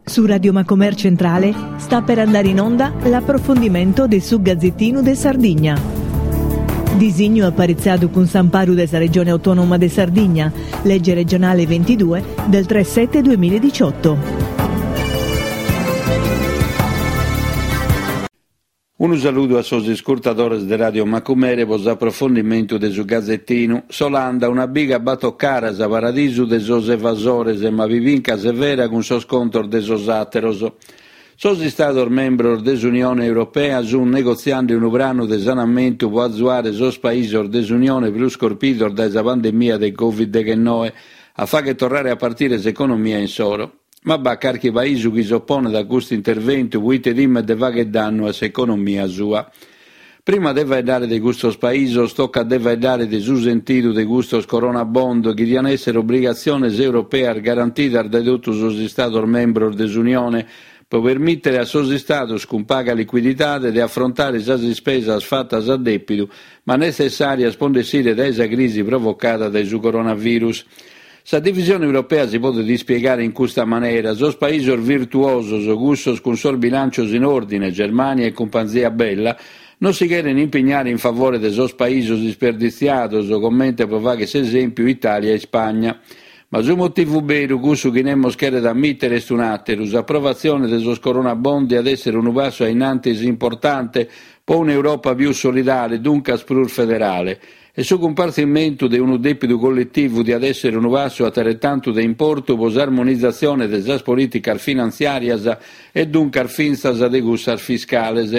Su Radio Macomer Centrale sta per andare in onda l'approfondimento de su Gazzettinu de Sardigna. Disignu aparitzadu cun s'amparu de sa Regione Autonoma de Sardigna, legge regionale 22 del 3 7 2018. Unu saludu a sos iscurtadores de Radio Macumere pro s'aprofondimentu de su Gazetinu. S'Olanda, una biga a bator caras, paradisu de sos evasores, ma pibinca severa cun sos contos de sos àteros. Sos Istados membros de s'Unione Europea sunt negotziende unu pranu de sanamentu pro azuare sos paisos de s'Unione prus corpidos dae sa pandemia de Covid deghennoe a fagher torrare a partire s'economia insoro. Ma b'at carchi paisu chi s'oponet a custu interventu proite timet de fagher dannu a s'economia sua. Prima de faeddare de custos paisos tocat de faeddare de su sentidu de custos Corona Bond chi dian èssere obrigatziones europeas garantidas dae totu sos Istados membros de s'Unione pro permìtere a sos Istados cun paga licuididade de afrontare sas ispesas fatas a dèpidu ma netzessàrias pro nd'essire dae sa crisi provocada dae su coronavirus. Sa divisione europea si podet ispiegare in custa manera, sos paisos virtuosos, cussos cun sos bilàncios in òrdine, Germània e cumpanzia bella, non si cheren impignare in favore de sos paisos isperditziados, comente pro fagher s'esèmpiu Itàlia e Ispagna. Ma su motivu beru, cussu chi nemos cheret ammìtere, est un'àteru, s'aprovatzione de sos Corona Bond diat èssere unu passu a in antis importante pro un'Europa pius solidale, duncas prus federale. E su cumpartzimentu de unu dèpidu colletivu diat èssere unu passu ateretantu de importu pro s'armonizatzione de sas polìticas finantziàrias e duncas fintzas de cussas fiscales.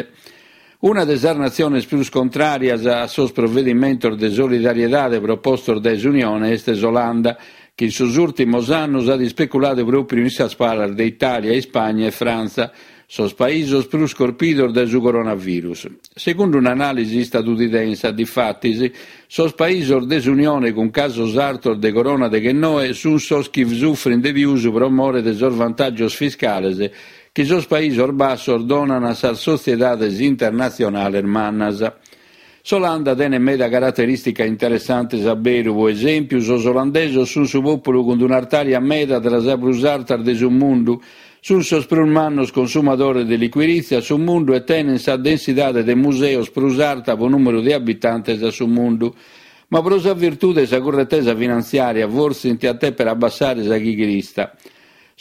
Una de sas natziones prus contràrias a sos provedimentos de solidariedade propostos dae s'Unione est s'Olanda, chi in sos ùrtimos annos at ispeculadu pròpiu in sas palas de Itàlia, Ispagna e Frantza, sos paisos prus corpidos dae su coronavirus. Segundu un'anàlisi istadunidensa, difatis, sos paisos de s'Unione cun casos artos de corona deghennoe sunt sos chi sufrint de pius pro more de sos vantàgios fiscales chi sos Paisos Bassos donan a sas sotziedades internatzionales mannas. S'Olanda tenet meda caraterìsticas interessantes a beru, pro esèmpiu sos olandesos sunt su pòpulu cun un'artària meda tra sas prus artas de su mundu, sunt sos prus mannos consumadores de licuirìtzia a su mundu e tenent sa densidade de museos prus arta pro nùmeru de abitantes a su mundu. Ma pro sa virtude 'e sa curretesa finantziària fortzis diant dèpere abbassare sa chighirista.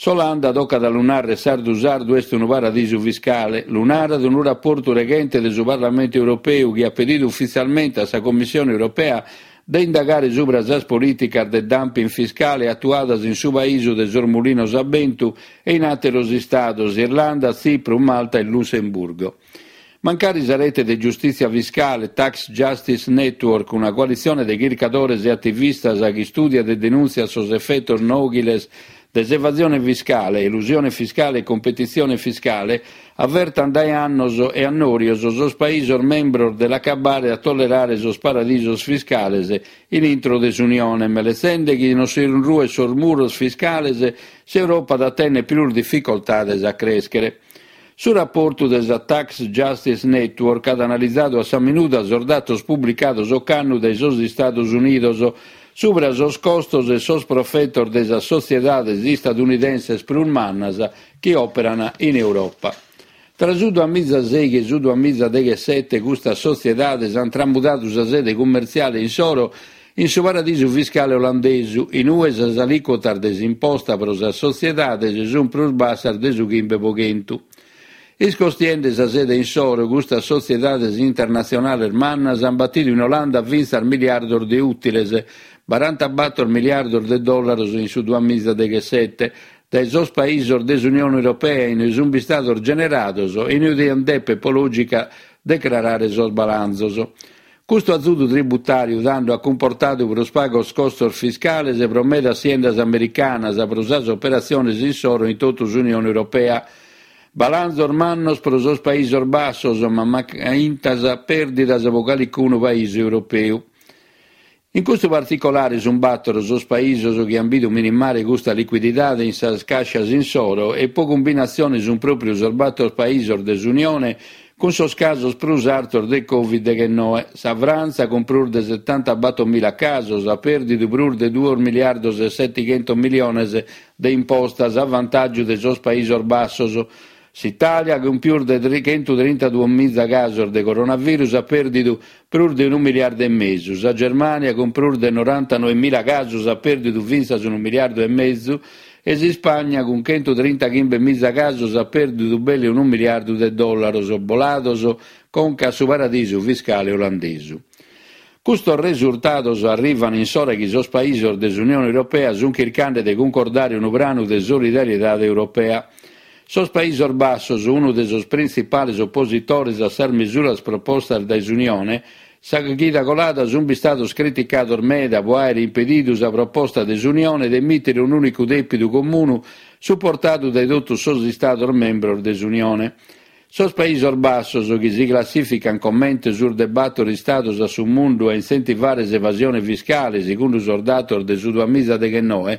S'Olanda, tocat a lu nàrrere sardu sardu, est unu paradisu fiscale. Lu narat unu raportu reghente de su Parlamentu Europeu chi at pedidu ufitzialmente a sa Commissione Europea de indagare subra sas polìticas de dumping fiscale atuadas in su paisu de sos mulinos a bentu e in àteros istados, Irlanda, Tzipru, Malta e Lussemburgo. Mancari sa rete de giustìtzia fiscale Tax Justice Network, una coalitzione de chircadores e ativistas chi istùdiat e denùntziat sos efetos nòghiles de s'evasione fiscale, elusione fiscale e competitzione fiscale, avertant dae annos e annòrios sos paisos membros de l'acabbare a tollerare sos paradisos fiscales in intro de s'Unione, meletzende chi non si ruent sos muros fiscales, s'Europa at a tènnere prus dificoltades a crèschere. Su raportu de sa Tax Justice Network at analizadu a sa minuda sos datos publicados ocannu dae sos Istados Unidos subra sos costos e sos profetos de sas sotziedades istadunidenses prus mannas chi òperan in Europa. Tra su duamizasèighi e su duamizadeghessete custas sotziedades ant tramudadu sa sede cummertziale insoro In su paradisu fiscale olandesu, in ue sas alìcuotas de s'imposta pro sas sotziedades sunt prus bassas de su chimbe pro chentu. Iscostiende sa sede insoro, custas sotziedades internatzionales mannas ant batidu in Olanda fintzas miliardos de ùtiles, barantabator miliardos de dòllaros in su duamizadeghessete, dae sos paisos de s'Unione Europea in ue sunt bistados generados e in ue diant dèpere pro lògica decrarare sos balanzos. Custu azudu tributàriu tando at cumportadu prus pagos costos fiscales pro medas siendas americanas pro sas operatziones insoro in totu s'Unione Europea. Balanzos mannos pro sos Paisos Bassos, ma macaintas pèrdidas pro calicunu paisu europeu. In custu particolare sunt bàtoro sos paisos chi ant bidu minimare custa licuididade in sas càscias insoro e pro cumbinatzione sunt pròpriu sos bàtoro paisos de s'Unione. cun sos casos prus artos de Covid deghennoe. Sa Frantza, cun prus de setantabatomila casos, at pèrdidu prus de duos miliardos e setighentos miliones de impostas a vantàgiu de sos Paisos Bassos. S'Itàlia, cun pius de chentutrintaduamiza casos de coronavirus, at pèrdidu prus de unu miliardu e mesu. Sa Germània, cun prus de norantanoemila casos, at pèrdidu fintzas unu miliardu e mesu e s'Ispagna, cun chentutrintachimbemiza casos, at pèrdidu belle unu miliardu de dòllaros bolados conca a su paradisu fiscale olandesu. Custos resurtados arrivant in s'ora chi sos paisos de s'Unione Europea sunt chirchende de cuncordare unu pranu de solidariedade europea. Sos Paisos Bassos, unu de sos printzipales opositores a sas mesuras propostas dae s'Unione, sa chida colada sunt bistados criticados meda pro àere impedidu sa proposta de s'Unione de emìtere un'ùnicu dèpidu comunu suportadu dae totus sos Istados membros de s'Unione. Sos Paisos Bassos, chi si classìficant comente su de bator istados a su mundu a intzentivare s'evasione fiscale, segundu sos datos de su duamiza deghennoe,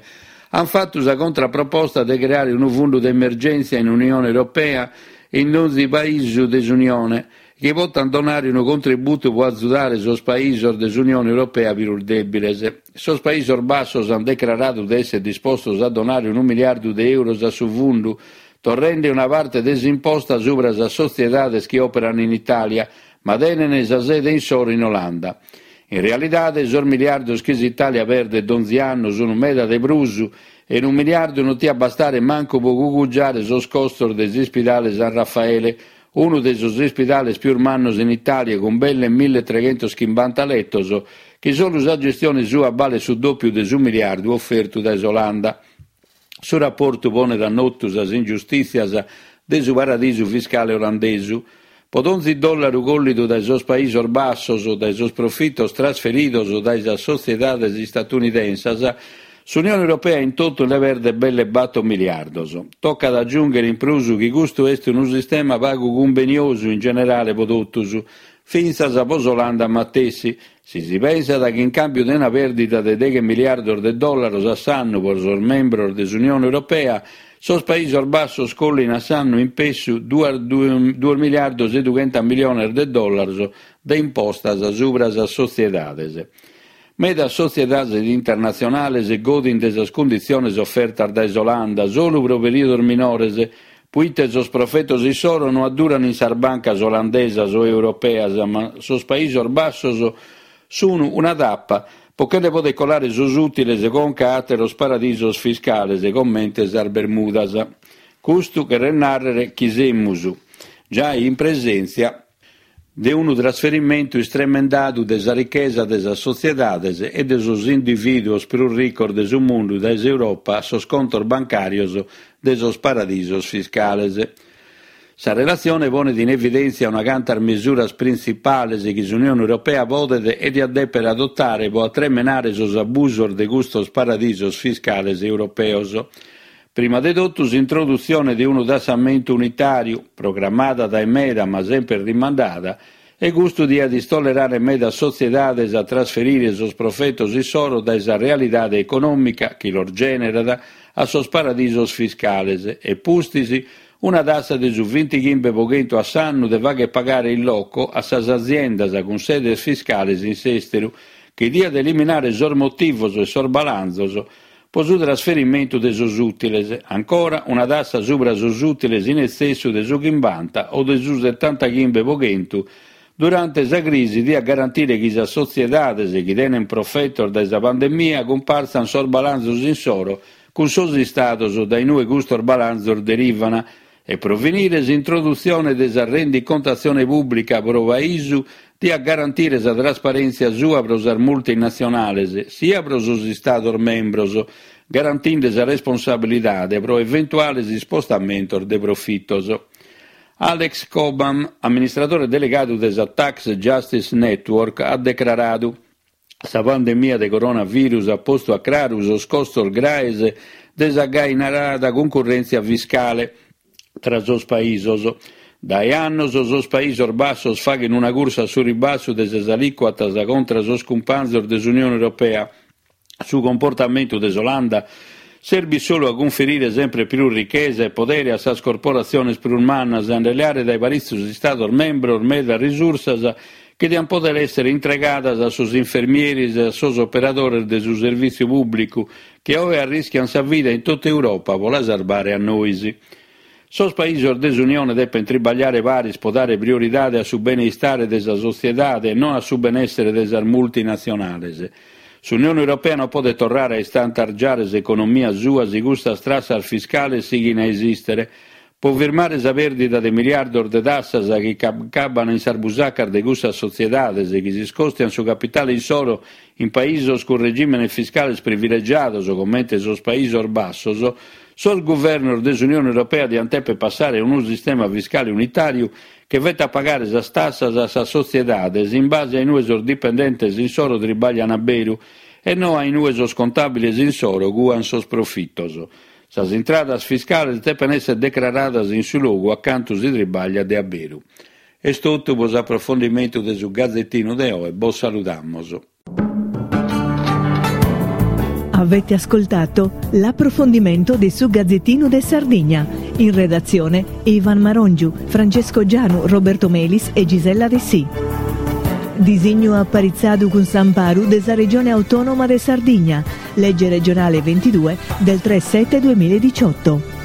ant fatu sa contraproposta de creare unu fundu de emergèntzia in Unione Europea in donzi paisu de s'Unione, chi potant donare unu contributu pro azudare sos paisos de s'Unione Europea prus dèbiles. Sos Paisos Bassos ant decraradu de èssere dispostos a donare unu miliardu de euros a su fundu, torrende una parte de s'imposta subra sas sotziedades chi òperan in Itàlia, ma tenent sa sede insoro in Olanda. In realidade sos miliardos chi s'Itàlia perdet donzi annu sunt meda de prus e unu miliardu non tiat bastare mancu pro cugugiare sos costos de s'ispidale San Raffaele, unu de sos ispidales pius mannos in Itàlia cun belle milletreghentochimbanta letos, chi solu sa gestione sua balet su dòpiu de su miliardu ofertu dae s'Olanda. Su raportu ponet a notu sas ingiustìtzias de su paradisu fiscale olandesu. Pro donzi dòllaru collidu dae sos Paisos Bassos dae sos profitos trasferidos dae sas sotziedades istatunidensas, s'Unione Europea in totu nde perdet belle bator miliardos. Tocat a agiùnghere in prus chi custu est unu sistema pagu cumbeniosu in generale pro totus, fintzas pro s'Olanda matessi, Si si pensat chi in càmbiu de una pèrdida de deghe miliardos de dòllaros a s'annu pro sos membros de s'Unione Europea, sos Paisos Bassos collin a s'annu in pessu duos miliardos e dughentas miliones de dòllaros de impostas subra sas sotziedades. Medas sotziedades internatzionales godint de sas cunditziones ofertas dae s'Olanda solu pro perìodos minores, Puite sos profetos issoro no adduran in sas bancas olandesas o europeas, ma sos Paisos Bassos sun una tapa pro che nde poder colare sos ùtiles conca a àteros paradisos fiscales comente sas Bermudas. Custu cheret nàrrere chi semus giai in presèntzia de unu trasferimentu istremendadu de sa richesa de sas sotziedades e de sos indivìduos prus ricos de su mundu dae s'Europa a sos contos bancàrios de sos paradisos fiscales. Sa relatzione ponet in evidèntzia una cantas mesuras printzipales chi s'Unione Europea podet e diat dèpere adotare pro atremenare sos abusos de custos paradisos fiscales europeos. Prima de totu s'introdutzione de unu tassamentu unitàriu, programmada dae meda ma semper rimandada, e custu diat istollerare medas sotziedades a trasferire sos profetos issoro dae sa realidade econòmica chi los gènerat a sos paradisos fiscales e pustis una tassa de su vintighimbe pro chentu a s'annu de fagher pagare in loco a sas aziendas cun sedes fiscales in s'èsteru chi diat eliminare sos motivos e sos balanzos Pro su trasferimentu de sos ùtiles, ancora una tassa subra sos ùtiles in etzessu de su chimbanta o de su setantachimbe pro chentu durante sa crisi diat garantire chi sas sotziedades chi tenent profetos dae sa pandemia cumpartzant sos balanzos insoro cun sos istados dae in ue custos balanzos derivan E pro finire, s'introdutzione de sa rendicontatzione pùblica pro paisu diat garantire sa trasparèntzia sua pro sas multinatzionales, sia pro sos Istados membros, garantinde sa responsabilidade pro eventuales ispostamentos de profitos. Alex Cobham, amministradore delegadu de sa Tax Justice Network, at decraradu, Sa pandemia de coronavirus at postu a craru sos costos graes de sa gai narada cuncurrèntzia fiscale tra sos paisos. Dae annos sos Paisos Bassos faghen una cursa a su ribassu de sas alìcuotas contra sos cumpanzos de s'Unione Europea. Su comportamentu de s'Olanda. serbit solu a cunferire sempre prus richesa e podere a sas corporatziones prus mannas e a nde leare dae paritzos istados membros medas risursas chi diant pòdere èssere intregadas a sos infermieris e a sos operadores de su servìtziu pùblicu chi oe arrischiant sa vida in totu Europa pro la sarbare a nois. Sos paisos de s'Unione depent tribagliare paris pro dare prioridade a su beneistare de sa sotziedade e non a su benèssere de sas multinatzionales. S'Unione Europea non podet torrare a istantargiare s'economia sua si custas trassas fiscales sighin a esìstere. Pro firmare sa pèrdida de miliardos de tassas chi acabbant in sas busacas de cussas sotziedades chi s'iscòstiant su capitale insoro in paisos cun regìmenes fiscales privilegiados comente sos Paisos Bassos, sos guvernos de s'Unione Europea diant dèpere passare a unu sistema fiscale unitàriu chi fetat pagare sas tassas a sas sotziedades in base a in ue sos dipendentes insoro tribaglian a beru e no a in ue sos contàbiles insoro cuan sos profitos. Sas intradas fiscales depen èssere decraradas in su logu acantu si tribagliat de a beru. Est totu pro s'aprofondimentu de su Gazetinu de oe, bos saludamos. Avete ascoltato l'approfondimento de su Gazzettino de Sardigna. In redazione Ivan Marongiu, Francesco Gianu, Roberto Melis e Gisella Dessì. Disignu aparitzadu cun s'amparu de sa Regione Autonoma de Sardigna, Legge regionale 22 del 3 7 2018.